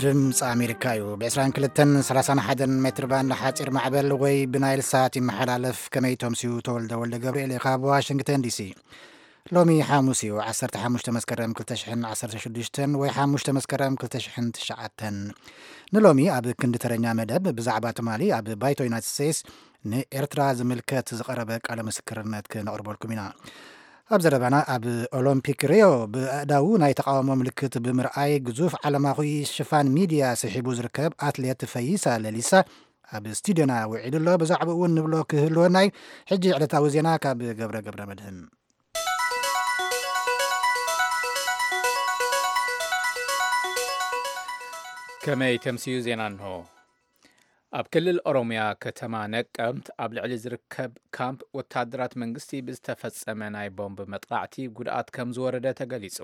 ድምፂ ኣሜሪካ እዩ። ብ22 31 ሜትር ባንድ ሓፂር ማዕበል ወይ ብናይል ሳት ይመሓላለፍ። ከመይ ተምስዩ? ተወልደ ወልደ ገብርኤል እየ ካብ ዋሽንግተን ዲሲ። ሎሚ ሓሙስ እዩ፣ ዓሰርተ ሓሙሽተ መስከረም ክልተ ሽሕን ዓሰርተ ሽዱሽተን ወይ ሓሙሽተ መስከረም ክልተ ሽሕን ትሽዓተን። ንሎሚ ኣብ ክንዲ ተረኛ መደብ ብዛዕባ ትማሊ ኣብ ባይቶ ዩናይትድ ስቴትስ ንኤርትራ ዝምልከት ዝቐረበ ቃለ ምስክርነት ክነቕርበልኩም ኢና። ኣብ ዘረባና፣ ኣብ ኦሎምፒክ ሪዮ ብኣእዳዉ ናይ ተቓውሞ ምልክት ብምርኣይ ግዙፍ ዓለማዊ ሽፋን ሚድያ ስሒቡ ዝርከብ ኣትሌት ፈይሳ ለሊሳ ኣብ ስቱድዮና ውዒሉ ኣሎ። ብዛዕባኡ እውን ንብሎ ክህልወና እዩ። ሕጂ ዕለታዊ ዜና ካብ ገብረ ገብረ መድህን። ከመይ ተምስዩ ዜና እንሆ። ኣብ ክልል ኦሮምያ ከተማ ነቀምት ኣብ ልዕሊ ዝርከብ ካምፕ ወታደራት መንግስቲ ብዝተፈጸመ ናይ ቦምብ መጥቃዕቲ ጉድኣት ከም ዝወረደ ተገሊጹ።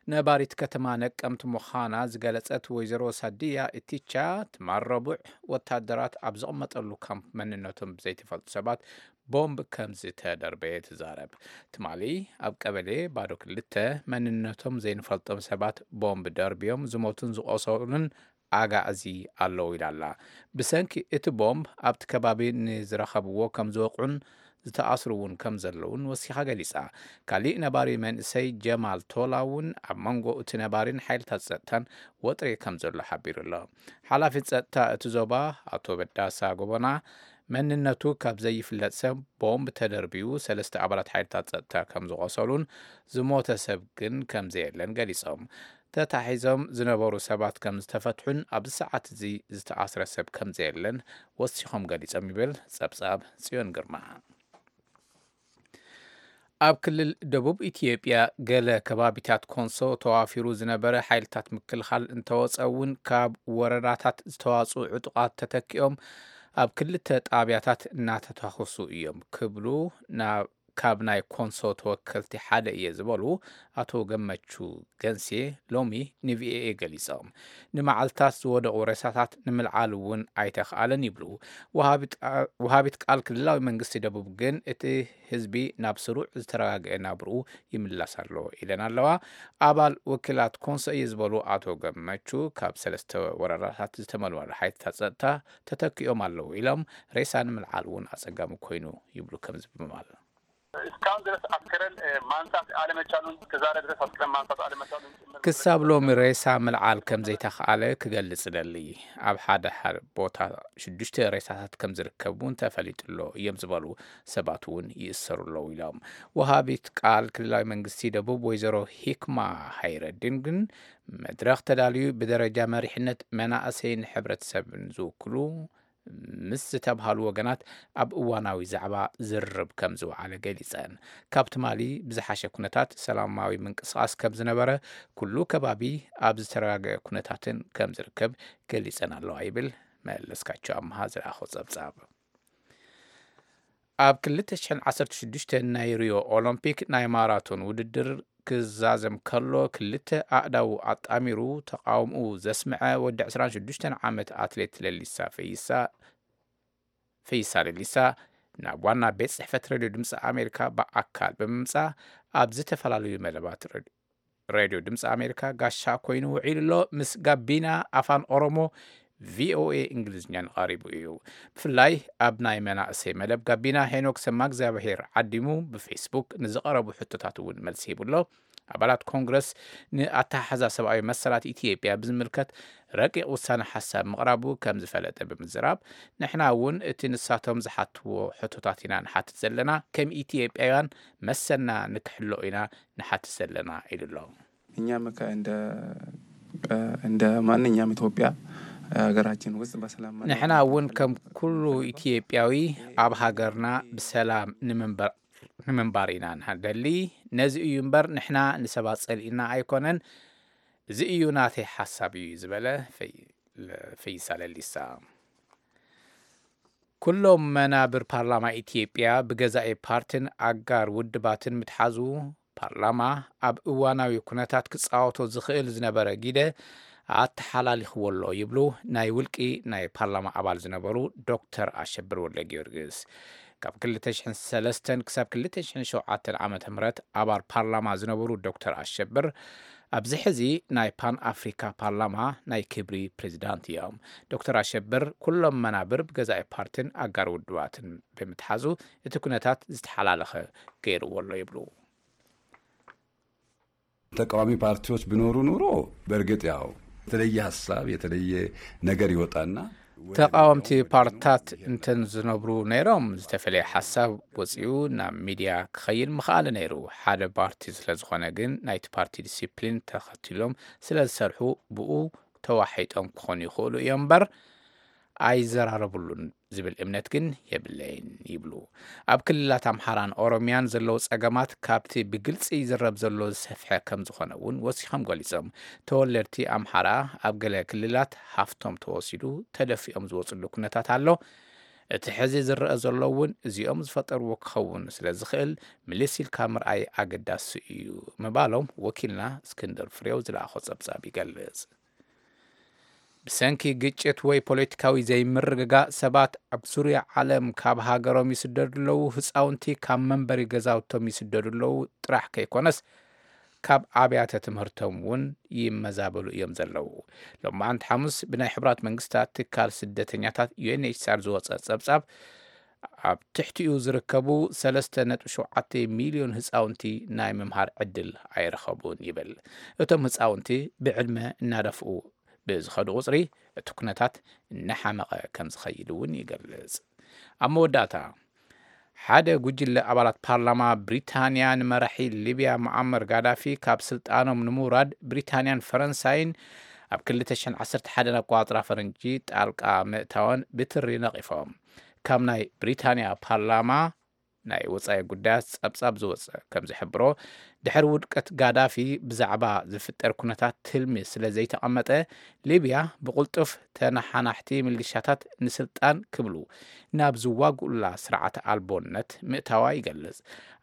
ነባሪት ከተማ ነቀምት ምዃና ዝገለጸት ወይዘሮ ሳድያ ኢቲቻ፣ ትማል ረቡዕ ወታደራት ኣብ ዝቕመጠሉ ካምፕ መንነቶም ብዘይተፈልጡ ሰባት ቦምብ ከም ዝተደርበየ ትዛረብ። ትማሊ ኣብ ቀበሌ ባዶ ክልተ መንነቶም ዘይንፈልጦም ሰባት ቦምብ ደርብዮም ዝሞቱን ዝቖሰሉን ኣጋእዚ ኣለዉ ኢላ ኣላ። ብሰንኪ እቲ ቦምብ ኣብቲ ከባቢ ንዝረኸብዎ ከም ዝወቕዑን ዝተኣስሩ እውን ከም ዘለውን ወሲኻ ገሊጻ። ካሊእ ነባሪ መንእሰይ ጀማል ቶላ እውን ኣብ መንጎ እቲ ነባሪን ሓይልታት ጸጥታን ወጥሪ ከም ዘሎ ሓቢሩ ኣሎ። ሓላፊ ጸጥታ እቲ ዞባ ኣቶ በዳሳ ጎበና፣ መንነቱ ካብ ዘይፍለጥ ሰብ ቦምብ ተደርብዩ ሰለስተ ኣባላት ሓይልታት ጸጥታ ከም ዝቖሰሉን ዝሞተ ሰብ ግን ከም ዘየለን ገሊጾም። ተታሒዞም ዝነበሩ ሰባት ከም ዝተፈትሑን ኣብዚ ሰዓት እዚ ዝተኣስረ ሰብ ከም ዘየለን ወሲኾም ገሊጾም ይብል ጸብጻብ ጽዮን ግርማ። ኣብ ክልል ደቡብ ኢትዮጵያ ገለ ከባቢታት ኮንሶ ተዋፊሩ ዝነበረ ሓይልታት ምክልኻል እንተወጸ እውን ካብ ወረዳታት ዝተዋጽኡ ዕጡቓት ተተኪኦም ኣብ ክልተ ጣብያታት እናተታኾሱ እዮም ክብሉ ናብ ካብ ናይ ኮንሶ ተወከልቲ ሓደ እየ ዝበሉ ኣቶ ገመቹ ገንሴ ሎሚ ንቪኦኤ ገሊጾም። ንመዓልታት ዝወደቑ ሬሳታት ንምልዓል እውን ኣይተኽኣለን ይብሉ። ወሃቢት ቃ-፣ ወሃቢት ቃል ክልላዊ መንግስቲ ደቡብ ግን እቲ ህዝቢ ናብ ስሩዕ ዝተረጋግአ ናብርኡ ይምላስ ኣሎ ኢለን ኣለዋ። ኣባል ወኪላት ኮንሶ እየ ዝበሉ ኣቶ ገመቹ ካብ ሰለስተ ወረዳታት ዝተመልመሉ ሓይልታት ጸጥታ ተተኪኦም ኣለዉ ኢሎም ሬሳ ንምልዓል እውን ኣጸጋሚ ኮይኑ ይብሉ ከምዚ ብምባል። እስካሁን ድረስ አስከሬን፣ እ፣ ማንሳት አለመቻሉን፣ እስከዛሬ ድረስ አስከሬን ማንሳት አለመቻሉን ጭምር ክሳብ ሎሚ ሬሳ ምልዓል ከም ዘይተኽኣለ ክገልጽ እደሊ። ኣብ ሓደ ሓደ ቦታ ሽዱሽተ ሬሳታት ከም ዝርከብ እውን ተፈሊጡ ኣሎ እዮም ዝበሉ ሰባት እውን ይእሰሩ ኣለዉ ኢሎም። ወሃቢት ቃል ክልላዊ መንግስቲ ደቡብ ወይዘሮ ሂክማ ሃይረዲን ግን መድረኽ ተዳልዩ ብደረጃ መሪሕነት መናእሰይን ሕብረተሰብን ዝውክሉ ምስ ዝተብሃሉ ወገናት ኣብ እዋናዊ ዛዕባ ዝርርብ ከም ዝወዓለ ገሊጸን። ካብ ትማሊ ብዝሓሸ ኩነታት ሰላማዊ ምንቅስቓስ ከም ዝነበረ፣ ኩሉ ከባቢ ኣብ ዝተረጋገአ ኩነታትን ከም ዝርከብ ገሊጸን ኣለዋ ይብል መለስካቸው ኣምሃ ዝለኣኾ ጸብጻብ። ኣብ ክልተ ሽሕን ዓሰርተ ሽዱሽተ ናይ ሪዮ ኦሎምፒክ ናይ ማራቶን ውድድር ክዛዘም ከሎ ክልተ ኣእዳዉ ኣጣሚሩ ተቓውምኡ ዘስምዐ ወዲ ዕስራን ሽዱሽተን ዓመት ኣትሌት ለሊሳ ፈይሳ፣ ፈይሳ ለሊሳ ናብ ዋና ቤት ጽሕፈት ሬድዮ ድምፂ ኣሜሪካ ብኣካል ብምምጻእ ኣብ ዝተፈላለዩ መደባት ሬድ-፣ ሬድዮ ድምፂ ኣሜሪካ ጋሻ ኮይኑ ውዒሉ ኣሎ። ምስ ጋቢና ኣፋን ኦሮሞ ቪኦኤ እንግሊዝኛን ቀሪቡ እዩ። ብፍላይ ኣብ ናይ መናእሰይ መደብ ጋቢና ሄኖክ ሰማእግዚኣብሄር ዓዲሙ ብፌስቡክ ንዝቐረቡ ሕቶታት እውን መልሲ ሂቡ ኣሎ። ኣባላት ኮንግረስ ንኣተሓሕዛ ሰብኣዊ መሰላት ኢትዮጵያ ብዝምልከት ረቂቕ ውሳነ ሓሳብ ምቕራቡ ከም ዝፈለጠ ብምዝራብ፣ ንሕና እውን እቲ ንሳቶም ዝሓትዎ ሕቶታት ኢና ንሓትት ዘለና፣ ከም ኢትዮጵያውያን መሰልና ንክሕሎ ኢና ንሓትት ዘለና ኢሉ ኣሎ። እኛም ከ-፣ እንደ፣ እንደ ማንኛውም ኢትዮጵያ ሀገራችን ውስጥ በሰላም መኖር ንሕና እውን ከም ኩሉ ኢትዮጵያዊ ኣብ ሃገርና ብሰላም ንምንበር-፣ ንምንባር ኢና ንደሊ። ነዚ እዩ እምበር ንሕና ንሰባት ጸሊእና ኣይኮነን። እዚ እዩ ናተይ ሓሳብ እዩ ዝበለ ፈይ-፣ ፈይሳ ለሊሳ። ኩሎም መናብር ፓርላማ ኢትዮጵያ ብገዛኢ ፓርትን ኣጋር ውድባትን ምትሓዙ፣ ፓርላማ ኣብ እዋናዊ ኩነታት ክጻወቶ ዝኽእል ዝነበረ ግደ ኣተሓላሊኽዎ ኣሎ ይብሉ ናይ ውልቂ ናይ ፓርላማ ኣባል ዝነበሩ ዶክተር ኣሸብር ወልደ ጊዮርጊስ። ካብ ክልተ ሽሕን ሰለስተን ክሳብ ክልተ ሽሕን ሸውዓተን ዓመተ ምህረት ኣባል ፓርላማ ዝነበሩ ዶክተር ኣሸብር ኣብዚ ሕዚ ናይ ፓን ኣፍሪካ ፓርላማ ናይ ክብሪ ፕሬዚዳንት እዮም። ዶክተር ኣሸብር ኩሎም መናብር ብገዛኢ ፓርቲን ኣጋር ውድባትን ብምትሓዙ እቲ ኩነታት ዝተሓላለኸ ገይርዎ ኣሎ ይብሉ። ተቃዋሚ ፓርቲዎች ቢኖሩ ኑሮ በእርግጥ ያው የተለየ ሀሳብ የተለየ ነገር ይወጣና። ተቃወምቲ ፓርትታት እንተን ዝነብሩ ነይሮም ዝተፈለየ ሓሳብ ወፂኡ ናብ ሚድያ ክኸይድ ምኽኣለ ነይሩ። ሓደ ፓርቲ ስለ ዝኾነ ግን ናይቲ ፓርቲ ዲሲፕሊን ተኸቲሎም ስለ ዝሰርሑ ብኡ ተዋሒጦም ክኾኑ ይኽእሉ እዮም እምበር ኣይዘራረብሉን ዝብል እምነት ግን የብለይን ይብሉ። ኣብ ክልላት ኣምሓራን ኦሮሚያን ዘለዉ ጸገማት ካብቲ ብግልጺ ይዝረብ ዘሎ ዝሰፍሐ ከም ዝኾነ እውን ወሲኾም ገሊጾም። ተወለድቲ ኣምሓራ ኣብ ገለ ክልላት ሃፍቶም ተወሲዱ ተደፊኦም ዝወፅሉ ኩነታት ኣሎ። እቲ ሕዚ ዝረአ ዘሎ እውን እዚኦም ዝፈጠርዎ ክኸውን ስለ ዝኽእል ምልስ ኢልካ ምርኣይ ኣገዳሲ እዩ ምባሎም ወኪልና እስክንድር ፍሬው ዝለኣኾ ጸብጻብ ይገልጽ። ብሰንኪ ግጭት ወይ ፖለቲካዊ ዘይምርግጋእ ሰባት ኣብ ዙርያ ዓለም ካብ ሃገሮም ይስደዱ ኣለዉ። ህፃውንቲ ካብ መንበሪ ገዛውቶም ይስደዱ ኣለዉ ጥራሕ ከይኮነስ ካብ ኣብያተ ትምህርቶም እውን ይመዛበሉ እዮም ዘለዉ። ሎማዓንቲ ሓሙስ ብናይ ሕቡራት መንግስታት ትካል ስደተኛታት ዩኤንኤችሲኣር ዝወፀ ፀብፃብ ኣብ ትሕቲኡ ዝርከቡ ሰለስተ ነጥቢ ሸውዓተ ሚልዮን ህፃውንቲ ናይ ምምሃር ዕድል ኣይረኸቡን ይብል። እቶም ህፃውንቲ ብዕድመ እናደፍኡ ብዝኸዱ ቁፅሪ እቲ ኩነታት እናሓመቐ ከም ዝኸይድ እውን ይገልጽ። ኣብ መወዳእታ ሓደ ጉጅለ ኣባላት ፓርላማ ብሪታንያ ንመራሒ ሊብያ ሙዓመር ጋዳፊ ካብ ስልጣኖም ንምውራድ ብሪታንያን ፈረንሳይን ኣብ ክልተ ሽሕን ዓሰርተ ሓደን ኣቆጻጽራ ፈረንጂ ጣልቃ ምእታወን ብትሪ ነቒፎም። ካብ ናይ ብሪታንያ ፓርላማ ናይ ወጻኢ ጉዳያት ጸብጻብ ዝወጸ ከም ዝሕብሮ ድሕሪ ውድቀት ጋዳፊ ብዛዕባ ዝፍጠር ኩነታት ትልሚ ስለ ዘይተቐመጠ ሊብያ ብቕልጡፍ ተነሓናሕቲ ሚሊሻታት ንስልጣን ክብሉ ናብ ዝዋግኡላ ስርዓት ኣልቦነት ምእታዋ ይገልጽ።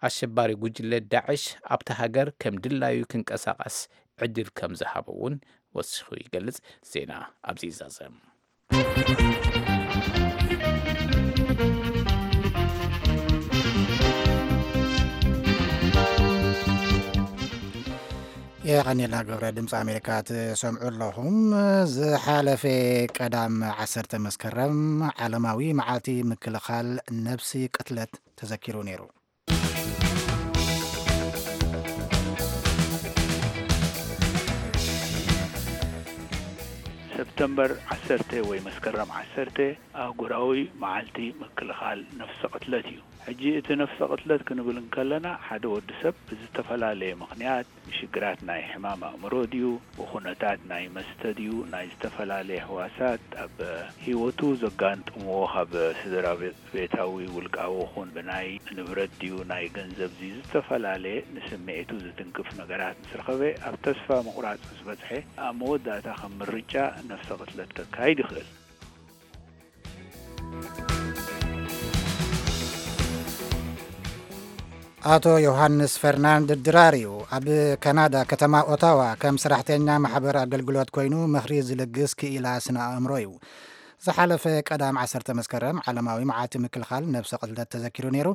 ኣሸባሪ ጉጅለ ዳዕሽ ኣብታ ሃገር ከም ድላዩ ክንቀሳቐስ ዕድል ከም ዝሃበ እውን ወሲኹ ይገልጽ። ዜና ኣብዚ ይዛዘም። የቐኒልና ግብረ ድምፂ ኣሜሪካ ትሰምዑ ኣለኹም። ዝሓለፈ ቀዳም ዓሰርተ መስከረም ዓለማዊ መዓልቲ ምክልኻል ነብሲ ቅትለት ተዘኪሩ ነይሩ። ሰፕተምበር ዓሰርተ ወይ መስከረም ዓሰርተ ኣህጉራዊ መዓልቲ ምክልኻል ነፍሰ ቅትለት እዩ። ሕጂ እቲ ነፍሰ ቅትለት ክንብል እንከለና ሓደ ወዲ ሰብ ብዝተፈላለየ ምኽንያት ብሽግራት ናይ ሕማም ኣእምሮ ድዩ፣ ብኹነታት ናይ መስተ ድዩ፣ ናይ ዝተፈላለየ ህዋሳት ኣብ ህይወቱ ዘጋንጥምዎ ካብ ስድራ ቤታዊ ውልቃዊ ኹን ብናይ ንብረት ድዩ ናይ ገንዘብ ድዩ ዝተፈላለየ ንስምዒቱ ዝትንክፍ ነገራት ምስ ረኸበ ኣብ ተስፋ ምቑራጽ ምስ በጽሐ ኣብ መወዳእታ ከም ምርጫ ነፍሰ ቅትለት ከካይድ ይኽእል። ኣቶ ዮሃንስ ፈርናንድ ድራር እዩ። ኣብ ካናዳ ከተማ ኦታዋ ከም ሰራሕተኛ ማሕበር ኣገልግሎት ኮይኑ ምኽሪ ዝልግስ ክኢላ ስነ ኣእምሮ እዩ። ዝሓለፈ ቀዳም ዓሰርተ መስከረም ዓለማዊ መዓልቲ ምክልኻል ነብሰ ቅትለት ተዘኪሩ ነይሩ።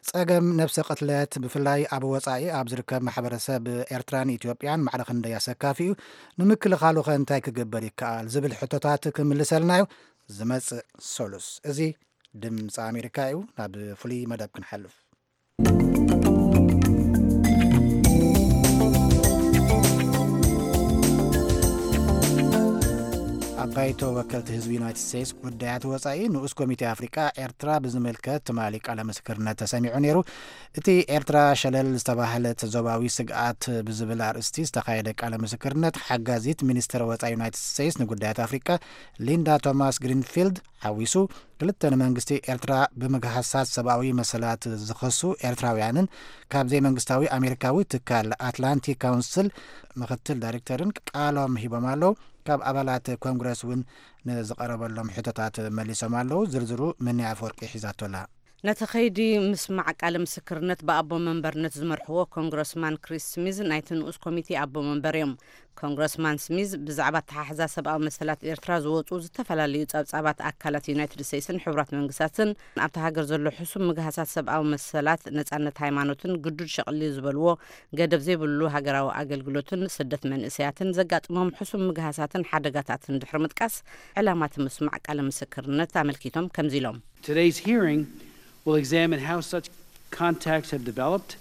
ጸገም ነብሰ ቅትለት ብፍላይ ኣብ ወጻኢ ኣብ ዝርከብ ማሕበረሰብ ኤርትራን ኢትዮጵያን ማዕረ ክንደይ ኣሰካፊ እዩ? ንምክልኻሉ ከ እንታይ ክግበር ይከኣል? ዝብል ሕቶታት ክምልሰልና እዩ ዝመጽእ ሰሉስ። እዚ ድምፂ ኣሜሪካ እዩ። ናብ ፍሉይ መደብ ክንሓልፍ። ኣብ ባይቶ ወከልቲ ህዝቢ ዩናይትድ ስቴትስ ጉዳያት ወፃኢ ንኡስ ኮሚቴ ኣፍሪቃ ኤርትራ ብዝምልከት ትማሊ ቃለ ምስክርነት ተሰሚዑ ነይሩ። እቲ ኤርትራ ሸለል ዝተባህለት ዞባዊ ስግኣት ብዝብል ኣርእስቲ ዝተኻየደ ቃለ ምስክርነት ሓጋዚት ሚኒስትር ወፃኢ ዩናይትድ ስቴትስ ንጉዳያት ኣፍሪቃ ሊንዳ ቶማስ ግሪንፊልድ ሓዊሱ ክልተ ንመንግስቲ ኤርትራ ብምግሃሳት ሰብኣዊ መሰላት ዝኸሱ ኤርትራውያንን ካብ ዘይመንግስታዊ ኣሜሪካዊ ትካል ኣትላንቲክ ካውንስል ምኽትል ዳይሬክተርን ቃሎም ሂቦም ኣለዉ። ካብ ኣባላት ኮንግረስ እውን ንዝቐረበሎም ሕቶታት መሊሶም ኣለዉ። ዝርዝሩ ምንያ ኣፈወርቂ ሒዛቶላ። ነቲ ከይዲ ምስማዕ ቃለ ምስክርነት ብኣቦ መንበርነት ዝመርሕዎ ኮንግረስማን ክሪስ ስሚዝ ናይቲ ንኡስ ኮሚቴ ኣቦ መንበር እዮም። ኮንግረስማን ስሚዝ ብዛዕባ ኣተሓሕዛ ሰብኣዊ መሰላት ኤርትራ ዝወፁ ዝተፈላለዩ ጸብጻባት ኣካላት ዩናይትድ ስቴትስን ሕቡራት መንግስታትን ኣብቲ ሃገር ዘሎ ሕሱም ምግሃሳት ሰብኣዊ መሰላት፣ ነጻነት ሃይማኖትን ግዱድ ሸቕሊ ዝበልዎ ገደብ ዘይብሉ ሃገራዊ ኣገልግሎትን ስደት መንእሰያትን ዘጋጥሞም ሕሱም ምግሃሳትን ሓደጋታትን ድሕሪ ምጥቃስ ዕላማ እቲ ምስማዕ ቃለ ምስክርነት ኣመልኪቶም ከምዚ ኢሎም። Today's hearing will examine how such contacts have developed.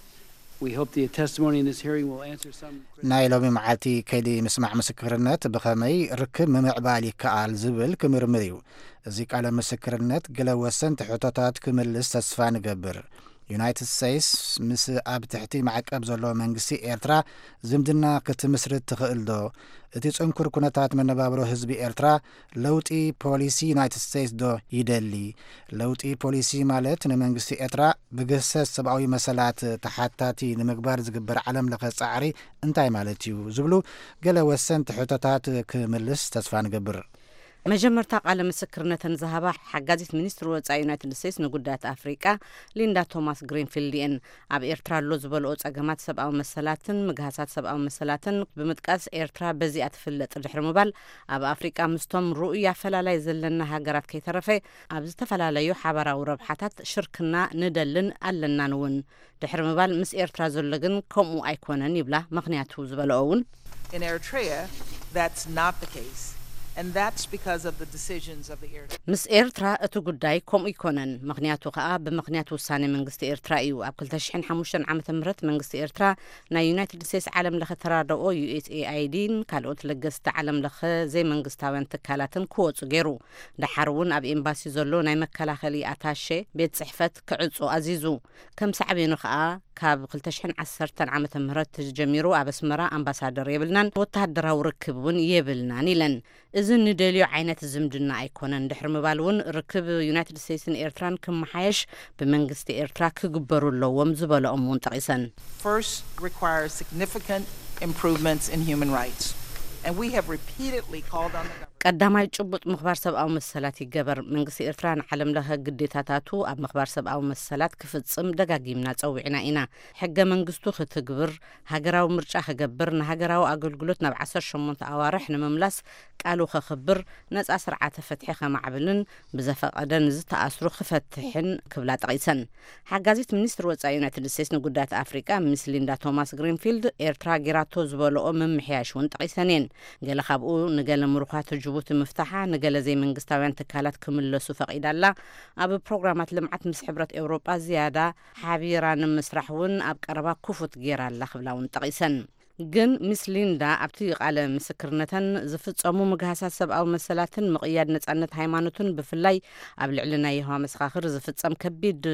We hope the testimony in this hearing will answer some ናይ ሎሚ መዓልቲ ከይዲ ምስማዕ ምስክርነት ብኸመይ ርክብ ምምዕባል ይከኣል ዝብል ክምርምር እዩ። እዚ ቃለ ምስክርነት ገለ ወሰንቲ ሕቶታት ክምልስ ተስፋ ንገብር። ዩናይትድ ስቴትስ ምስ ኣብ ትሕቲ ማዕቀብ ዘሎ መንግስቲ ኤርትራ ዝምድና ክትምስርት ትኽእል ዶ? እቲ ጽንኩር ኩነታት መነባብሮ ህዝቢ ኤርትራ ለውጢ ፖሊሲ ዩናይትድ ስቴትስ ዶ ይደሊ? ለውጢ ፖሊሲ ማለት ንመንግስቲ ኤርትራ ብግህሰት ሰብኣዊ መሰላት ተሓታቲ ንምግባር ዝግበር ዓለም ለኸ ጻዕሪ እንታይ ማለት እዩ? ዝብሉ ገለ ወሰንቲ ሕቶታት ክምልስ ተስፋ ንገብር። መጀመርታ ቃለ ምስክርነተን ዝሃባ ሓጋዚት ሚኒስትሪ ወጻኢ ዩናይትድ ስቴትስ ንጉዳያት ኣፍሪቃ ሊንዳ ቶማስ ግሪንፊልድ እየን። ኣብ ኤርትራ ኣሎ ዝበልኦ ጸገማት ሰብኣዊ መሰላትን ምግሃሳት ሰብኣዊ መሰላትን ብምጥቃስ፣ ኤርትራ በዚኣ ትፍለጥ ድሕሪ ምባል፣ ኣብ ኣፍሪቃ ምስቶም ርኡይ ኣፈላላይ ዘለና ሃገራት ከይተረፈ ኣብ ዝተፈላለዩ ሓባራዊ ረብሓታት ሽርክና ንደልን ኣለናን እውን ድሕሪ ምባል፣ ምስ ኤርትራ ዘሎ ግን ከምኡ ኣይኮነን ይብላ። ምኽንያቱ ዝበለኦ እውን In Eritrea, that's not the case. And that's because of the decisions of the Eritrean ምስ ኤርትራ እቲ ጉዳይ ከምኡ ኣይኮነን። ምኽንያቱ ከኣ ብምኽንያት ውሳኔ መንግስቲ ኤርትራ እዩ። ኣብ ክልተ ሽሕን ሓሙሽተን ዓመተ ምህረት መንግስቲ ኤርትራ ናይ ዩናይትድ ስቴትስ ዓለም ለኸ ተራድኦ፣ ዩ ኤስ ኤ ኣይ ዲን ካልኦት ለገስቲ ዓለም ለኸ ዘይመንግስታውያን ትካላትን ክወጹ ገይሩ። ደሓር እውን ኣብ ኤምባሲ ዘሎ ናይ መከላኸሊ ኣታሼ ቤት ጽሕፈት ክዕጾ ኣዚዙ። ከም ሳዕቤኑ ከኣ ካብ ክልተ ሽሕን ዓሰርተን ዓመተ ምህረት ጀሚሩ ኣብ ኣስመራ ኣምባሳደር የብልናን፣ ወተሃደራዊ ርክብ እውን የብልናን ኢለን። እዚ ንደልዮ ዓይነት ዝምድና ኣይኮነን ድሕሪ ምባል እውን፣ ርክብ ዩናይትድ ስቴትስን ኤርትራን ክመሓየሽ ብመንግስቲ ኤርትራ ክግበሩ ኣለዎም ዝበለኦም እውን ጠቒሰን። First requires significant improvements in human rights. And we have repeatedly called on the government ቀዳማይ ጭቡጥ ምኽባር ሰብኣዊ መሰላት ይገበር። መንግስቲ ኤርትራ ንዓለም ለኸ ግዴታታቱ ኣብ ምኽባር ሰብኣዊ መሰላት ክፍጽም ደጋጊምና ጸዊዕና ኢና። ሕገ መንግስቱ ክትግብር፣ ሃገራዊ ምርጫ ክገብር፣ ንሃገራዊ ኣገልግሎት ናብ ዓሰርተ ሸሞንተ ኣዋርሕ ንምምላስ ቃሉ ከኽብር፣ ነጻ ስርዓተ ፍትሒ ከማዕብልን ብዘፈቐደ ንዝተኣስሩ ክፈትሕን ክብላ ጠቒሰን። ሓጋዚት ሚኒስትሪ ወጻኢ ዩናይትድ ስቴትስ ንጉዳያት ኣፍሪቃ ሚስ ሊንዳ ቶማስ ግሪንፊልድ፣ ኤርትራ ጌራቶ ዝበለኦ ምምሕያሽ እውን ጠቒሰን እየን። ገለ ካብኡ ንገለ ምሩኻት ጅቡቲ ምፍታሓ፣ ንገለ ዘይመንግስታውያን ትካላት ክምለሱ ፈቒዳ ኣላ። ኣብ ፕሮግራማት ልምዓት ምስ ሕብረት ኤውሮጳ ዝያዳ ሓቢራ ንምስራሕ እውን ኣብ ቀረባ ክፉት ጌራ ኣላ ክብላ እውን ጠቒሰን። ግን ሚስ ሊንዳ ኣብቲ ቃለ ምስክርነተን ዝፍጸሙ ምግሃሳት ሰብኣዊ መሰላትን ምቕያድ ነጻነት ሃይማኖትን ብፍላይ ኣብ ልዕሊ ናይ የሆዋ መሰኻኽር ዝፍጸም ከቢድ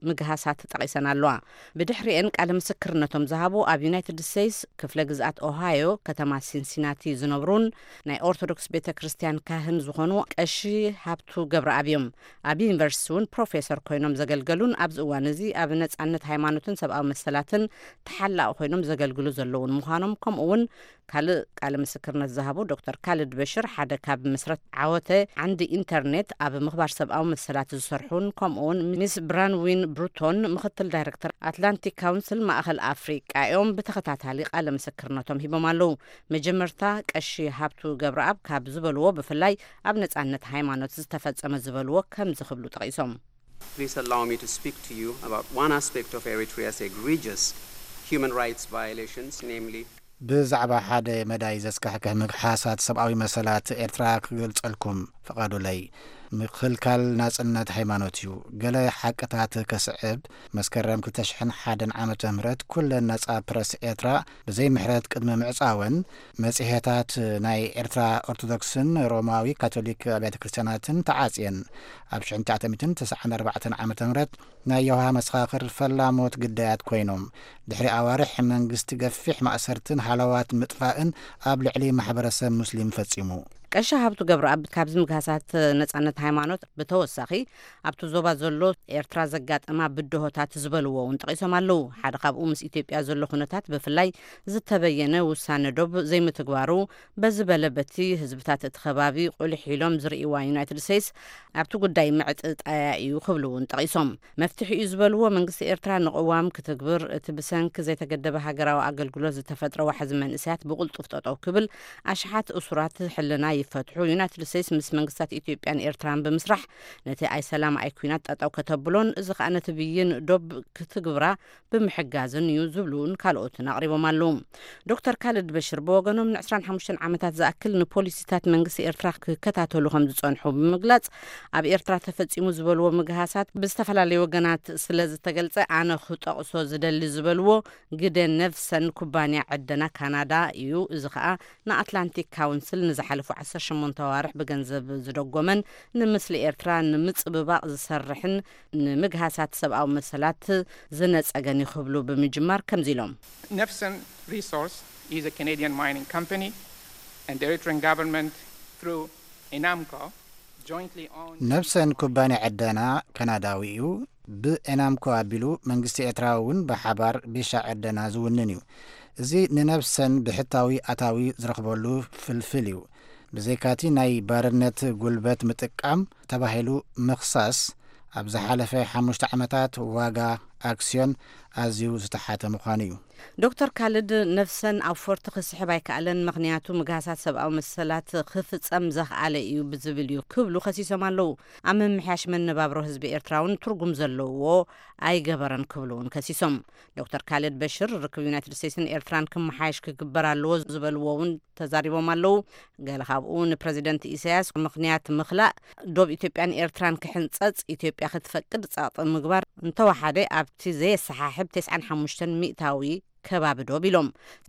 ምግሃሳት ጠቒሰን ኣለዋ። ብድሕሪኤን ቃለ ምስክርነቶም ዝሃቡ ኣብ ዩናይትድ ስቴትስ ክፍለ ግዝኣት ኦሃዮ ከተማ ሲንሲናቲ ዝነብሩን ናይ ኦርቶዶክስ ቤተ ክርስቲያን ካህን ዝኾኑ ቀሺ ሃብቱ ገብረኣብ እዮም። ኣብ ዩኒቨርሲቲ እውን ፕሮፌሰር ኮይኖም ዘገልገሉን ኣብዚ እዋን እዚ ኣብ ነጻነት ሃይማኖትን ሰብኣዊ መሰላትን ተሓላቒ ኮይኖም ዘገልግሉ ዘለውን ምዃኖም፣ ከምኡ እውን ካልእ ቃለ ምስክርነት ዝሃቡ ዶክተር ካልድ በሽር፣ ሓደ ካብ መስረት ዓወተ ዓንዲ ኢንተርኔት ኣብ ምኽባር ሰብኣዊ መሰላት ዝሰርሑን፣ ከምኡ እውን ሚስ ብራንዊን ብሩቶን፣ ምኽትል ዳይሬክተር ኣትላንቲክ ካውንስል ማእኸል ኣፍሪቃ እዮም፣ ብተኸታታሊ ቃለ ምስክርነቶም ሂቦም ኣለዉ። መጀመርታ ቀሺ ሃብቱ ገብረኣብ ካብ ዝበልዎ፣ ብፍላይ ኣብ ነጻነት ሃይማኖት ዝተፈጸመ ዝበልዎ ከምዚ ክብሉ ጠቒሶም። Please allow me to speak to you about one aspect of Eritrea's egregious human rights violations, namely ብዛዕባ ሓደ መዳይ ዘስካሕክሕ ምግሓሳት ሰብኣዊ መሰላት ኤርትራ ክገልጸልኩም ፍቐዱለይ። ምኽልካል ናጽነት ሃይማኖት እዩ። ገለ ሓቅታት ከስዕብ፣ መስከረም ክልተ ሽሕን ሓደን ዓመተ ምህረት ኩለን ነጻ ፕረስ ኤርትራ ብዘይ ምሕረት ቅድሚ ምዕጻወን፣ መጽሔታት ናይ ኤርትራ ኦርቶዶክስን ሮማዊ ካቶሊክ ኣብያተ ክርስቲያናትን ተዓጽየን። ኣብ ሽሕን ትሽዓተ ሚእትን ተስዓን ኣርባዕተን ዓመተ ምህረት ናይ የሆዋ መሰኻኽር ፈላሞት ግዳያት ኮይኖም። ድሕሪ ኣዋርሕ መንግስቲ ገፊሕ ማእሰርትን ሃለዋት ምጥፋእን ኣብ ልዕሊ ማሕበረሰብ ሙስሊም ፈጺሙ። ቀሺ ሃብቱ ገብረኣብ ካብዚ ምግሃሳት ነጻነት ሃይማኖት ብተወሳኺ፣ ኣብቲ ዞባ ዘሎ ኤርትራ ዘጋጠማ ብድሆታት ዝበልዎ እውን ጠቒሶም ኣለዉ። ሓደ ካብኡ፣ ምስ ኢትዮጵያ ዘሎ ኩነታት፣ ብፍላይ ዝተበየነ ውሳነ ዶብ ዘይምትግባሩ፣ በዚ በለ በቲ ህዝብታት እቲ ከባቢ ቁልሕ ኢሎም ዝርእይዋ ዩናይትድ ስቴትስ ኣብቲ ጉዳይ ምዕጥጣያ እዩ ክብሉ እውን ጠቒሶም። መፍትሒ እዩ ዝበልዎ፣ መንግስቲ ኤርትራ ንቅዋም ክትግብር፣ እቲ ብሰንኪ ዘይተገደበ ሃገራዊ ኣገልግሎት ዝተፈጥረ ዋሕዚ መንእሰያት ብቕልጡፍ ጠጠው ክብል፣ ኣሽሓት እሱራት ሕልና ይፈትሑ፣ ዩናይትድ ስቴትስ ምስ መንግስታት ኢትዮጵያን ኤርትራን ብምስራሕ ነቲ ኣይሰላም ኣይኩናት ጠጠው ከተብሎን፣ እዚ ከኣ ነቲ ብይን ዶብ ክትግብራ ብምሕጋዝን እዩ ዝብሉ እውን ካልኦትን ኣቕሪቦም ኣለዉ። ዶክተር ካልድ በሽር ብወገኖም፣ ንዕስራን ሓሙሽተን ዓመታት ዝኣክል ንፖሊሲታት መንግስቲ ኤርትራ ክከታተሉ ከም ዝጸንሑ ብምግላጽ፣ ኣብ ኤርትራ ተፈጺሙ ዝበልዎ ምግሃሳት ብዝተፈላለዩ ወገናት ስለ ዝተገልጸ፣ ኣነ ክጠቕሶ ዝደሊ ዝበልዎ ግደ ነፍሰን ኩባንያ ዕደና ካናዳ እዩ። እዚ ከኣ ንኣትላንቲክ ካውንስል ንዝሓለፉ ዓሰርተ ሸሞንተ ኣዋርሕ ብገንዘብ ዝደጎመን፣ ንምስሊ ኤርትራ ንምጽብባቕ ዝሰርሕን፣ ንምግሃሳት ሰብኣዊ መሰላት ዝነጸገን እዩ ክብሉ ብምጅማር ከምዚ ኢሎም። Nefsen Resource is a Canadian mining company, and the Eritrean government, through Enamco, jointly own ነፍሰን ኩባንያ ዕደና ካናዳዊ እዩ። ብኤናምኮ ኣቢሉ መንግስቲ ኤርትራ እውን ብሓባር ቢሻ ዕደና ዝውንን እዩ። እዚ ንነፍሰን ብሕታዊ ኣታዊ ዝረኽበሉ ፍልፍል እዩ። ብዘይካቲ ናይ ባርነት ጉልበት ምጥቃም ተባሂሉ ምኽሳስ፣ ኣብ ዝሓለፈ ሓሙሽተ ዓመታት ዋጋ ኣክስዮን ኣዝዩ ዝተሓተ ምዃኑ እዩ። ዶክተር ካልድ፣ ነፍሰን ኣብ ፎርቲ ክስሕብ ኣይከኣለን፣ ምኽንያቱ ምግሃሳት ሰብኣዊ መሰላት ክፍጸም ዘኽኣለ እዩ ብዝብል እዩ ክብሉ ከሲሶም ኣለዉ። ኣብ ምምሕያሽ መነባብሮ ህዝቢ ኤርትራ እውን ትርጉም ዘለዎ ኣይገበረን ክብሉ እውን ከሲሶም። ዶክተር ካልድ በሽር፣ ርክብ ዩናይትድ ስቴትስን ኤርትራን ክመሓየሽ ክግበር ኣለዎ ዝበልዎ እውን ተዛሪቦም ኣለዉ። ገለ ካብኡ፣ ንፕረዚደንት ኢሳያስ ምኽንያት ምኽላእ ዶብ ኢትዮጵያን ኤርትራን ክሕንጸጽ ኢትዮጵያ ክትፈቅድ ጸቕጢ ምግባር፣ እንተወሓደ ኣብቲ ዘየሰሓሕብ ተስዓን ሓሙሽተን ሚእታዊ ከባቢ ዶብ ኢሎም።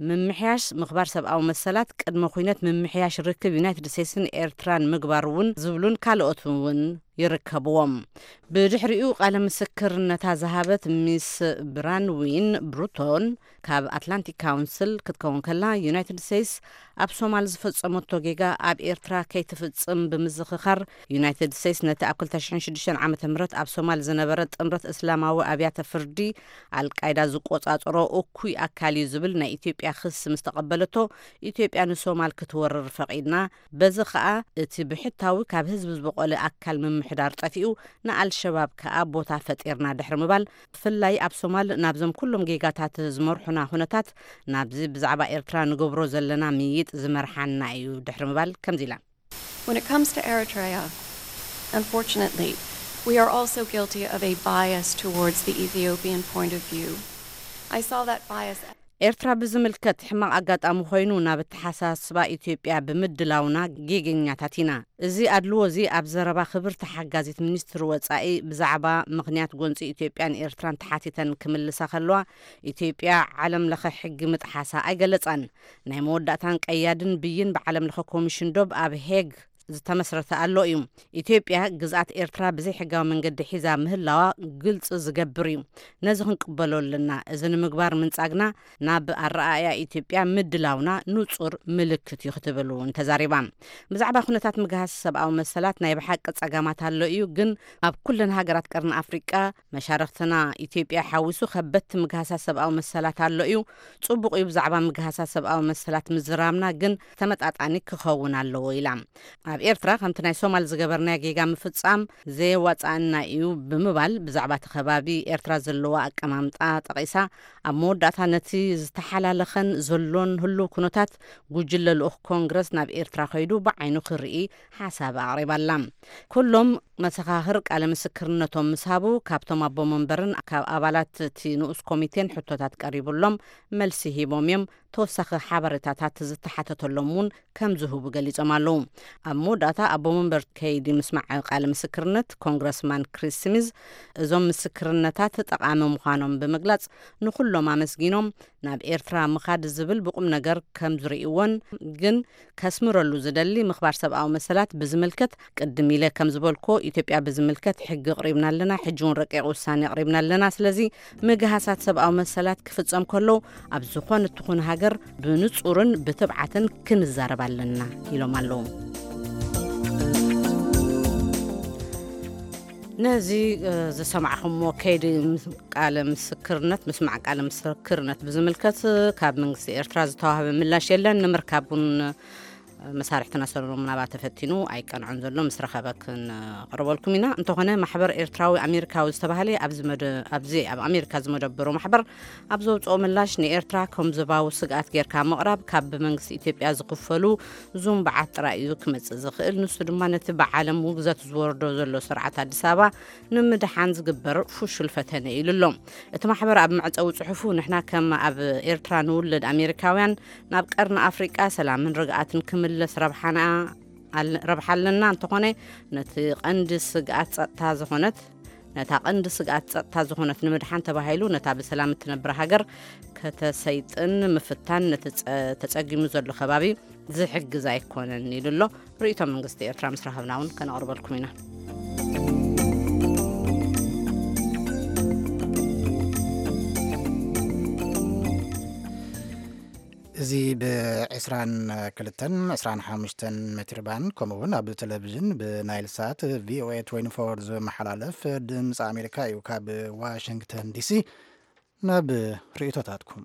ምምሕያሽ ምኽባር ሰብኣዊ መሰላት ቅድመ ኩነት ምምሕያሽ ርክብ ዩናይትድ ስቴትስን ኤርትራን ምግባር እውን ዝብሉን ካልኦት እውን ይርከብዎም። ብድሕሪኡ ቃለ ምስክርነታ ዝሃበት ሚስ ብራንዊን ብሩቶን ካብ ኣትላንቲክ ካውንስል ክትከውን ከላ፣ ዩናይትድ ስቴትስ ኣብ ሶማል ዝፈጸመቶ ጌጋ ኣብ ኤርትራ ከይትፍጽም ብምዝኽኻር፣ ዩናይትድ ስቴትስ ነቲ ኣብ ክልተ ሽሕን ሽዱሽተን ዓመተ ምህረት ኣብ ሶማል ዝነበረ ጥምረት እስላማዊ ኣብያተ ፍርዲ ኣልቃይዳ ዝቆጻጸሮ እኩይ ኣካል እዩ ዝብል ናይ ኢትዮጵያ ክሲ ምስ ተቐበለቶ፣ ኢትዮጵያ ንሶማል ክትወርር ፈቒድና፣ በዚ ኸኣ እቲ ብሕታዊ ካብ ህዝቢ ዝበቖለ ኣካል ምምሕዳር ጠፊኡ፣ ንኣልሸባብ ከኣ ቦታ ፈጢርና ድሕሪ ምባል፣ ብፍላይ ኣብ ሶማል ናብዞም ኩሎም ጌጋታት ዝመርሑና ኩነታት፣ ናብዚ ብዛዕባ ኤርትራ ንገብሮ ዘለና ምይይጥ ዝመርሓና እዩ ድሕሪ ምባል ከምዚ ኢላ። When it comes to Eritrea, unfortunately, we are also guilty of a bias towards the Ethiopian point of view. I saw that bias. ኤርትራ ብዝምልከት ሕማቕ ኣጋጣሚ ኮይኑ ናብ ኣተሓሳስባ ኢትዮጵያ ብምድላውና ጌገኛታት ኢና። እዚ ኣድልዎ እዚ ኣብ ዘረባ ክብርቲ ሓጋዚት ሚኒስትሪ ወጻኢ ብዛዕባ ምኽንያት ጎንጺ ኢትዮጵያን ኤርትራን ተሓቲተን ክምልሳ ከለዋ፣ ኢትዮጵያ ዓለም ለኸ ሕጊ ምጥሓሳ ኣይገለጻን። ናይ መወዳእታን ቀያድን ብይን ብዓለም ለኸ ኮሚሽን ዶብ ኣብ ሄግ ዝተመስረተ ኣሎ እዩ። ኢትዮጵያ ግዝኣት ኤርትራ ብዘይ ሕጋዊ መንገዲ ሒዛ ምህላዋ ግልጺ ዝገብር እዩ። ነዚ ክንቅበሎ ኣለና። እዚ ንምግባር ምንጻግና ናብ ኣረኣእያ ኢትዮጵያ ምድላውና ንጹር ምልክት እዩ ክትብል እውን ተዛሪባ። ብዛዕባ ኩነታት ምግሃስ ሰብኣዊ መሰላት ናይ ብሓቂ ጸገማት ኣሎ እዩ፣ ግን ኣብ ኩለን ሃገራት ቀርኒ ኣፍሪቃ መሻርኽትና ኢትዮጵያ ሓዊሱ ከበድቲ ምግሃሳት ሰብኣዊ መሰላት ኣሎ እዩ። ጽቡቕ እዩ ብዛዕባ ምግሃሳት ሰብኣዊ መሰላት ምዝራብና፣ ግን ተመጣጣኒ ክኸውን ኣለዎ ኢላ። ኣብ ኤርትራ ከምቲ ናይ ሶማል ዝገበርናዮ ጌጋ ምፍጻም ዘየዋጽኣና እዩ ብምባል ብዛዕባ እቲ ከባቢ ኤርትራ ዘለዋ ኣቀማምጣ ጠቒሳ፣ ኣብ መወዳእታ ነቲ ዝተሓላለኸን ዘሎን ህሉው ኩነታት ጉጅለ ልኡኽ ኮንግረስ ናብ ኤርትራ ከይዱ ብዓይኑ ክርኢ ሓሳብ ኣቕሪባላ። ኩሎም መሰኻኽር ቃለ ምስክርነቶም ምስ ሃቡ፣ ካብቶም ኣቦ መንበርን ካብ ኣባላት እቲ ንኡስ ኮሚቴን ሕቶታት ቀሪቡሎም መልሲ ሂቦም እዮም። ተወሳኺ ሓበሬታታት ዝተሓተተሎም እውን ከም ዝህቡ ገሊጾም ኣለዉ። ኣብ መወዳእታ ኣቦ መንበር ከይዲ ምስማዕ ቃለ ምስክርነት ኮንግረስማን ክሪስ ስሚዝ፣ እዞም ምስክርነታት ጠቓሚ ምዃኖም ብምግላጽ፣ ንኹሎም ኣመስጊኖም፣ ናብ ኤርትራ ምኻድ ዝብል ብቁም ነገር ከም ዝርእይዎን፣ ግን ከስምረሉ ዝደሊ ምኽባር ሰብኣዊ መሰላት ብዝምልከት፣ ቅድም ኢለ ከም ዝበልኩዎ፣ ኢትዮጵያ ብዝምልከት ሕጊ ኣቕሪብና ኣለና፣ ሕጂ እውን ረቂቕ ውሳኔ ኣቕሪብና ኣለና። ስለዚ ምግሃሳት ሰብኣዊ መሰላት ክፍጸም ከሎ፣ ኣብ ዝኾነት ትኹን ሃገር ብንጹርን ብትብዓትን ክንዛረብ ኣለና ኢሎም ኣለዉ። ነዚ ዝሰማዕኹምዎ ከይዲ ቃለ ምስክርነት ምስማዕ ቃለ ምስክርነት ብዝምልከት ካብ መንግስቲ ኤርትራ ዝተዋህበ ምላሽ የለን። ንምርካብ እውን መሳርሕትና ሰሎሞን ኣባተ ፈቲኑ ኣይቀንዖን ዘሎ፣ ምስ ረኸበ ክንቕርበልኩም ኢና። እንተኾነ ማሕበር ኤርትራዊ ኣሜሪካዊ ዝተባህለ ኣብዚ ኣብ ኣሜሪካ ዝመደበሩ ማሕበር ኣብ ዘውፅኦ ምላሽ ንኤርትራ ከም ዞባዊ ስግኣት ጌርካ ምቕራብ ካብ ብመንግስቲ ኢትዮጵያ ዝኽፈሉ ዙምባዓት ጥራይ እዩ ክመጽእ ዝኽእል። ንሱ ድማ ነቲ ብዓለም ውግዘት ዝወርዶ ዘሎ ስርዓት ኣዲስ ኣበባ ንምድሓን ዝግበር ፍሹል ፈተነ ኢሉ ኣሎ። እቲ ማሕበር ኣብ መዕጸዊ ጽሑፉ ንሕና ከም ኣብ ኤርትራ ንውለድ ኣሜሪካውያን ናብ ቀርኒ ኣፍሪቃ ሰላምን ርግኣትን ክምለስ ረብሓና ረብሓ ኣለና። እንተኾነ ነቲ ቀንዲ ስግኣት ጸጥታ ዝኾነት ነታ ቀንዲ ስግኣት ጸጥታ ዝኾነት ንምድሓን ተባሂሉ ነታ ብሰላም እትነብር ሃገር ከተሰይጥን ምፍታን ነቲ ተጸጊሙ ዘሎ ከባቢ ዝሕግዝ ኣይኮነን ኢሉ ኣሎ። ርእይቶ መንግስቲ ኤርትራ ምስ ረኸብና እውን ከነቕርበልኩም ኢና። እዚ ብ22 25 ሜትር ባንድ ከምኡ እውን ኣብ ቴሌቪዥን ብናይል ሳት ቪኦኤ 24 ዝመሓላለፍ ድምፂ ኣሜሪካ እዩ። ካብ ዋሽንግተን ዲሲ ናብ ርእይቶታትኩም።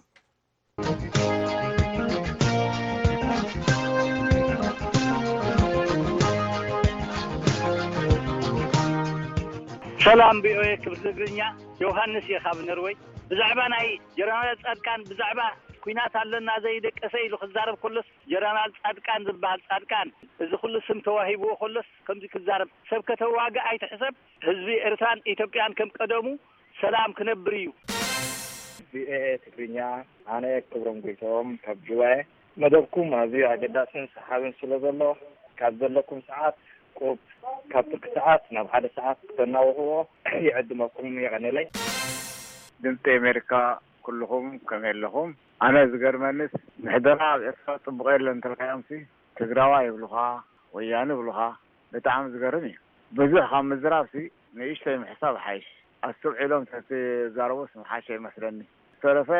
ሰላም ቪኦኤ ክብሪ ትግርኛ፣ ዮሃንስ እየ ካብ ነርወይ። ብዛዕባ ናይ ጀነራል ጻድቃን ብዛዕባ ኩናት ኣለና ዘይደቀሰ ኢሉ ክዛረብ ከሎስ፣ ጀነራል ጻድቃን ዝበሃል ጻድቃን፣ እዚ ኩሉ ስም ተዋሂብዎ ከሎስ ከምዚ ክዛረብ? ሰብ ከተዋግእ ኣይትሕሰብ። ህዝቢ ኤርትራን ኢትዮጵያን ከም ቀደሙ ሰላም ክነብር እዩ። ቪኦኤ ትግርኛ፣ ኣነ ክብሮም ጎይቶም ካብ ጅዋየ። መደብኩም ኣዝዩ ኣገዳስን ሰሓብን ስለ ዘሎ፣ ካብ ዘለኩም ሰዓት ቁብ፣ ካብ ትርኪ ሰዓት ናብ ሓደ ሰዓት ክተናውሕዎ ይዕድመኩም። የቐንየለይ። ድምፂ ኣሜሪካ፣ ኩልኹም ከመይ ኣለኹም? ኣነ ዝገርመንስ፣ ምሕደራ ኣብ ኤርትራ ጽቡቕ የለን እንተልካዮምሲ፣ ትግራዋይ ይብሉኻ፣ ወያነ ይብሉኻ። ብጣዕሚ ዝገርም እዩ። ብዙሕ ካብ ምዝራብሲ ንእሽተይ ምሕሳብ ሓይሽ። ኣስተውዒሎም ተዝዛረቡስ ምሓሸ ይመስለኒ። ዝተረፈ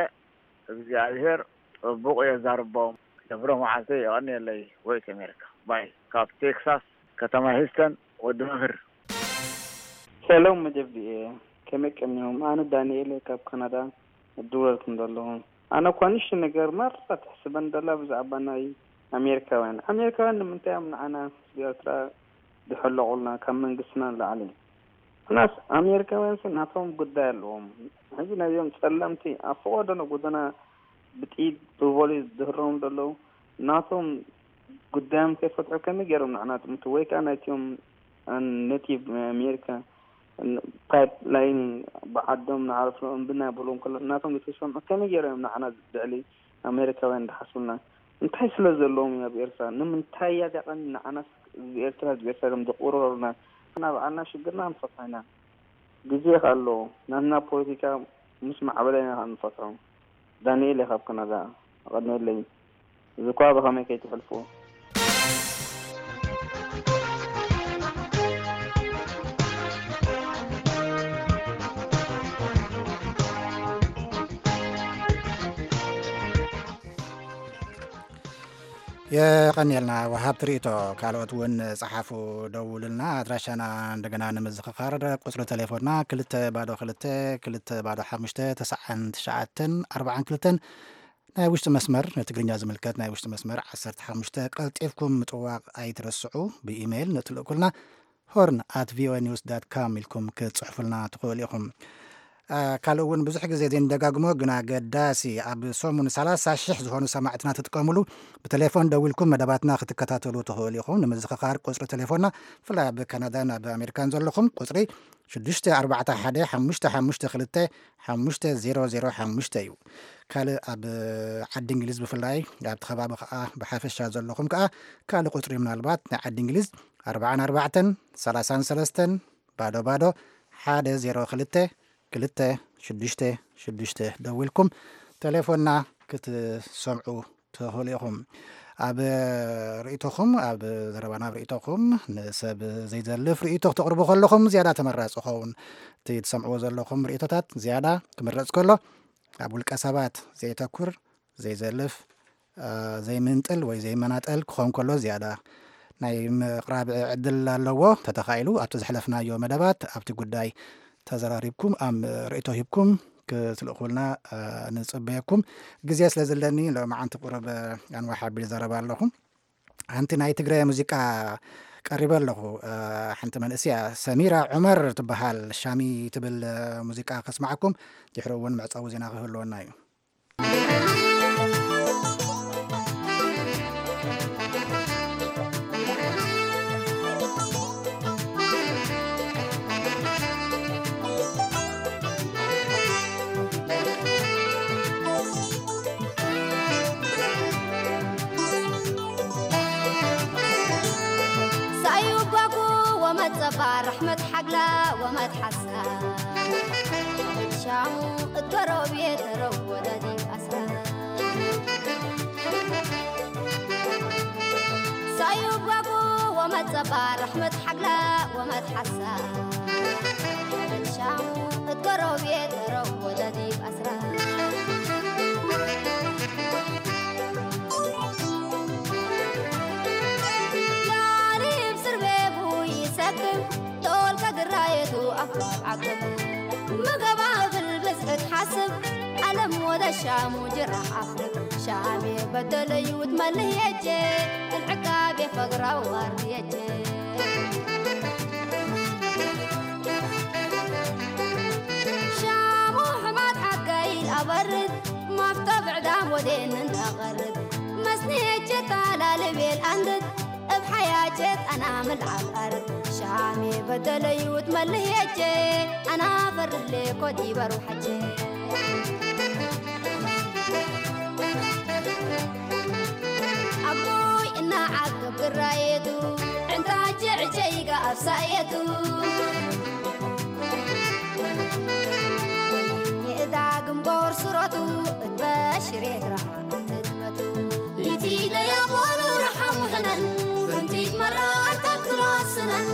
እግዚኣብሔር ጽቡቕ የዛርቦም። ክብሮም መዓልቲ፣ የቐንየለይ። ቮይስ ኣሜሪካ ባይ፣ ካብ ቴክሳስ ከተማ ሂውስተን፣ ወዲ መምህር። ሰላም መደብ ቪኦኤ፣ ከመይ ቀኒኹም? ኣነ ዳንኤል እየ ካብ ካናዳ እድውለልኩም ዘለኹ። ኣነ እኳ ንእሽቶ ነገር ማራ ተሕስበን ደላ ብዛዕባ ናይ ኣሜሪካውያን። ኣሜሪካውያን ንምንታይ እዮም ንዓና ህዝቢ ኤርትራ ዝሕለቑልና ካብ መንግስትና ንላዕሊ? ምኽንያት ኣሜሪካውያንሲ ናቶም ጉዳይ ኣለዎም። ሕጂ ናይዞም ጸለምቲ ኣብ ፈቐዶ ጎደና ብጥይት ብቮሊስ ዝድህረዎም ዘለዉ ናቶም ጉዳዮም ከይፈትሑ ከመይ ገይሮም ንዓና ጥምቱ? ወይ ከኣ ናይቲኦም ኔቲቭ ኣሜሪካ ፓይፕ ላይን ብዓዶም ንዓርፍሎም እምቢ እናበልዎም ከሎ ናቶም ዘይተሰምዑ ከመይ ገይሮም እዮም ንዓና ልዕሊ ኣሜሪካውያን ዝሓስቡልና? እንታይ ስለ ዘለዎም እዮም ኣብ ኤርትራ? ንምንታይ እያ እዚኣ ቀንዲ ንዓናስ ህዝቢ ኤርትራ ህዝቢ ኤርትራ ኢሎም ዘቑርሩና? ንሕና ባዕልና ሽግርና ክንፈትሖ ኢና። ግዜ ከ ኣለዎ። ናትና ፖለቲካ ምስ ማዕበለ ኢና ከኣ ንፈትሖ። ዳንኤል እየ ካብ ካናዳ። የቐንየለይ። እዚ እኳ ብኸመይ ከይትሕልፍዎ? የቐንየልና ወሃብቲ ርእይቶ። ካልኦት እውን ጸሓፉ፣ ደውሉልና። ኣድራሻና እንደገና ንምዝኽኻር፣ ቁጽሪ ተሌፎንና ክልተ ባዶ ክልተ፣ ክልተ ባዶ ሓሙሽተ፣ ተስዓን ትሽዓተን ኣርባዓን ክልተን። ናይ ውሽጢ መስመር፣ ንትግርኛ ዝምልከት ናይ ውሽጢ መስመር ዓሰርተ ሓሙሽተ፣ ቀልጢፍኩም ምጥዋቕ ኣይትረስዑ። ብኢሜይል ንእትልእኩልና ሆርን ኣት ቪኦኤ ኒውስ ዳት ካም ኢልኩም ክትጽሕፉልና ትኽእሉ ኢኹም። አ፣ ካልእ እውን ብዙሕ ግዜ ዘይንደጋግሞ ግን ኣገዳሲ፣ ኣብ ሰሙን ሰላሳ ሽሕ ዝኾኑ ሰማዕትና ትጥቀሙሉ፣ ብቴሌፎን ደዊልኩም መደባትና ክትከታተሉ ትኽእሉ ኢኹም። ንምዝኽኻር ቁጽሪ ቴሌፎንና፣ ብፍላይ ኣብ ካናዳን ኣብ ኣሜሪካን ዘለኹም፣ ቁጽሪ ሽዱሽተ ኣርባዕተ ሓደ ሓሙሽተ ሓሙሽተ ክልተ ሓሙሽተ ዜሮ ዜሮ ሓሙሽተ እዩ። ካልእ ኣብ ዓዲ እንግሊዝ ብፍላይ ኣብቲ ከባቢ ከኣ ብሓፈሻ ዘለኹም ከኣ ካልእ ቁጽሪ ምናልባት ናይ ዓዲ እንግሊዝ ኣርባዓን ኣርባዕተን ሰላሳን ሰለስተን ባዶ ባዶ ሓደ ዜሮ ክልተ ክልተ ሽዱሽተ ሽዱሽተ ደዊልኩም ቴሌፎንና ክትሰምዑ ትኽእሉ ኢኹም። ኣብ ርእይቶኹም፣ ኣብ ዘረባና ኣብ ርእይቶኹም ንሰብ ዘይዘልፍ ርእይቶ ክተቕርቡ ከለኹም ዝያዳ ተመራጺ ይኸውን። እቲ ትሰምዕዎ ዘለኹም ርእይቶታት ዝያዳ ክምረጽ ከሎ ኣብ ውልቀ ሰባት ዘየተኩር፣ ዘይዘልፍ፣ አ፣ ዘይምንጥል ወይ ዘይመናጠል ክኸውን ከሎ ዝያዳ ናይ ምቕራብ ዕድል ኣለዎ። ተተኻኢሉ ኣብቲ ዘሕለፍናዮ መደባት ኣብቲ ጉዳይ ተዘራሪብኩም፣ ኣብ ርእይቶ ሂብኩም ክትልእኹልና፣ እ፣ ንጽበየኩም። ግዜ ስለ ዘለኒ ሎማዓንቲ ቁሩብ፣ እ፣ ኣንዋሕ ኣቢል ዘረባ ኣለኹ። ሓንቲ ናይ ትግረ ሙዚቃ ቀሪበ ኣለኹ። እ፣ ሓንቲ መንእስያ ሰሚራ ዑመር ትበሃል፣ ሻሚ ትብል፣ እ፣ ሙዚቃ ከስማዓኩም። ድሕሪ እውን መዕጸዊ ዜና ክህልወና እዩ። ሳዩ ጓጉ ወመት ጸባ ራሕመት ሓግላ ወመት ሓሳ ሻሙ እትወረው ቤት ረው ወደዲ ኣስራ ሳዩ ጓጉ ወመት ጸባ ራሕመት ሓግላ ወመት ሓሳ ሻሙ እትወረው ቤት ረው ወደዲ ኣስራ ላሪብ ስርቤቡ ይሰክም ዶል ከግራየቱ ኣፉ ዓቅብ ምገባብል ብዝሕት ሓስብ ዓለም ወደ ሻሙ ጅራሕ ኣፍልብ ሻሜ በደለዩ ትመልህ የጀ እልዕቃቤ ፈግራ ዋር የጀ ሻሙ ሕማት ሓጋይል ኣበርድ ማፍቶ ብዕዳም ወዴንን ኣቐርብ መስኒ የጀ ታላልቤል ኣንድድ እብ ሓያጀት ኣና ምልዓል ኣርብ ሻሜ በደለዩ ትመልህ የጀ ኣና ፈርድሌ ኮዲ በሩ ሓጀ ኣቦይ እና ዓቅብ ግራየቱ ዕንታ ጀዕጀይጋ ኣብሳየቱ የእዳ ግንቦር ስሮቱ እትበሽር የግራ ትድመቱ ኢቲ ለያቦሉ ረሓሙ ሕነን ፍንቲት መራር ተክሎ ስነን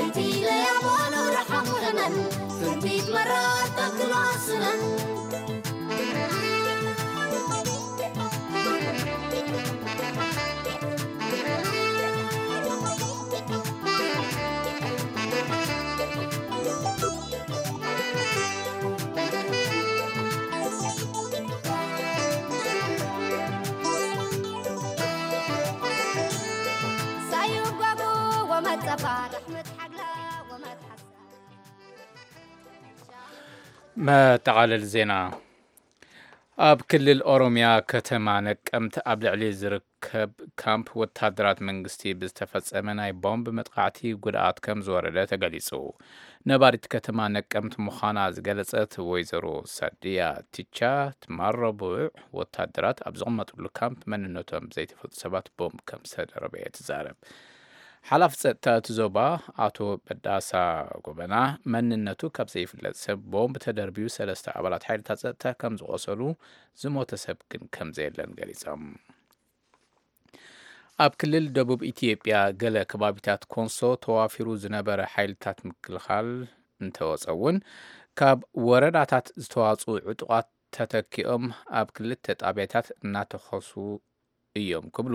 ኢቲ ለያቦሉ ረሓሙ ሕነን ፍንቲት መራር ተክሎ ስነን ሳዩ ጓጉ ወመት ጸባ ራሕመት ሓግላ ወመት ሓሳ መጠቓለሊ ዜና። ኣብ ክልል ኦሮምያ ከተማ ነቀምት ኣብ ልዕሊ ዝርከብ ካምፕ ወታደራት መንግስቲ ብዝተፈጸመ ናይ ቦምብ መጥቃዕቲ ጉድኣት ከም ዝወረደ ተገሊጹ። ነባሪት ከተማ ነቀምት ምዃና ዝገለጸት ወይዘሮ ሳድያ ቲቻ፣ ትማል ረቡዕ ወታደራት ኣብ ዝቕመጥሉ ካምፕ መንነቶም ዘይተፈልጡ ሰባት ቦምብ ከም ዝተደረበ እየ ትዛረብ። ሓላፊ ጸጥታ እቲ ዞባ ኣቶ በዳሳ ጎበና፣ መንነቱ ካብ ዘይፍለጥ ሰብ ቦምብ ተደርብዩ ሰለስተ ኣባላት ሓይልታት ጸጥታ ከም ዝቖሰሉ፣ ዝሞተ ሰብ ግን ከም ዘየለን ገሊጾም። ኣብ ክልል ደቡብ ኢትዮጵያ ገለ ከባቢታት ኮንሶ ተዋፊሩ ዝነበረ ሓይልታት ምክልኻል እንተወጸ እውን፣ ካብ ወረዳታት ዝተዋጽኡ ዕጡቓት ተተኪኦም ኣብ ክልተ ጣብያታት እናተኾሱ እዮም ክብሉ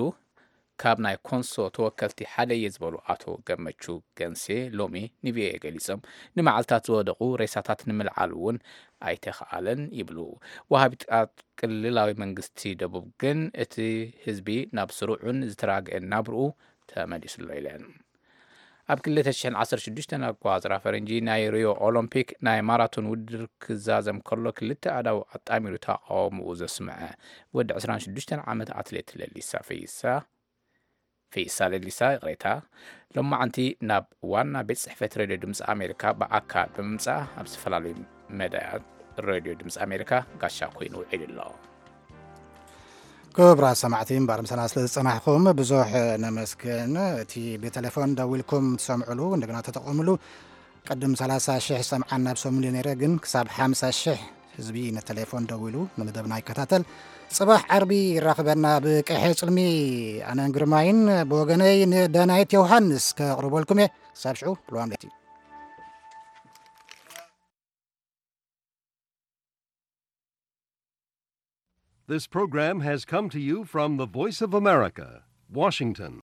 ካብ ናይ ኮንሶ ተወከልቲ ሓደ እየ ዝበሉ ኣቶ ገመቹ ገንሴ ሎሚ ንቪኦኤ ገሊጾም። ንመዓልታት ዝወደቑ ሬሳታት ንምልዓል እውን ኣይተኽኣለን ይብሉ። ወሃቢት ቃል ክልላዊ መንግስቲ ደቡብ ግን እቲ ህዝቢ ናብ ስሩዕን ዝተራግአን ናብርኡ ተመሊሱሎ ኢለን። ኣብ ክልተ ሽሕን ዓሰርተ ሽዱሽተን ኣቆጻጽራ ፈረንጂ ናይ ሪዮ ኦሎምፒክ ናይ ማራቶን ውድድር ክዛዘም ከሎ ክልተ ኣእዳው ኣጣሚሩ ተቓውሞኡ ዘስምዐ ወዲ ዕስራን ሽዱሽተን ዓመት ኣትሌት ለሊሳ ፈይሳ፣ ፈይሳ ለሊሳ፣ ይቕሬታ፣ ሎማዓንቲ ናብ ዋና ቤት ጽሕፈት ሬድዮ ድምፂ ኣሜሪካ ብኣካል ብምምጻእ ኣብ ዝተፈላለዩ መዳያት ሬድዮ ድምፂ ኣሜሪካ ጋሻ ኮይኑ ውዒሉ ኣሎ። ክቡራት ሰማዕቲ፣ እምበኣር ምሳና ስለ ዝጸናሕኩም ብዙሕ ነመስግን። እቲ ብቴሌፎን ደዊልኩም ትሰምዕሉ፣ እንደገና ተጠቐምሉ። ቅድም ሰላሳ ሽሕ ሰምዓን ናብ ሰሙን ነይረ፣ ግን ክሳብ ሓምሳ ሽሕ ህዝቢ ንቴሌፎን ደዊሉ ንመደብና ይከታተል። ጽባሕ ዓርቢ ይራኽበና ብቀይሐ ጽልሚ። ኣነን ግርማይን ብወገነይ ንዳናይት ዮሃንስ ከቕርበልኩም እየ። ክሳብ ሽዑ፣ ልዋም ለይቲ። This program has come to you from the Voice of America, Washington.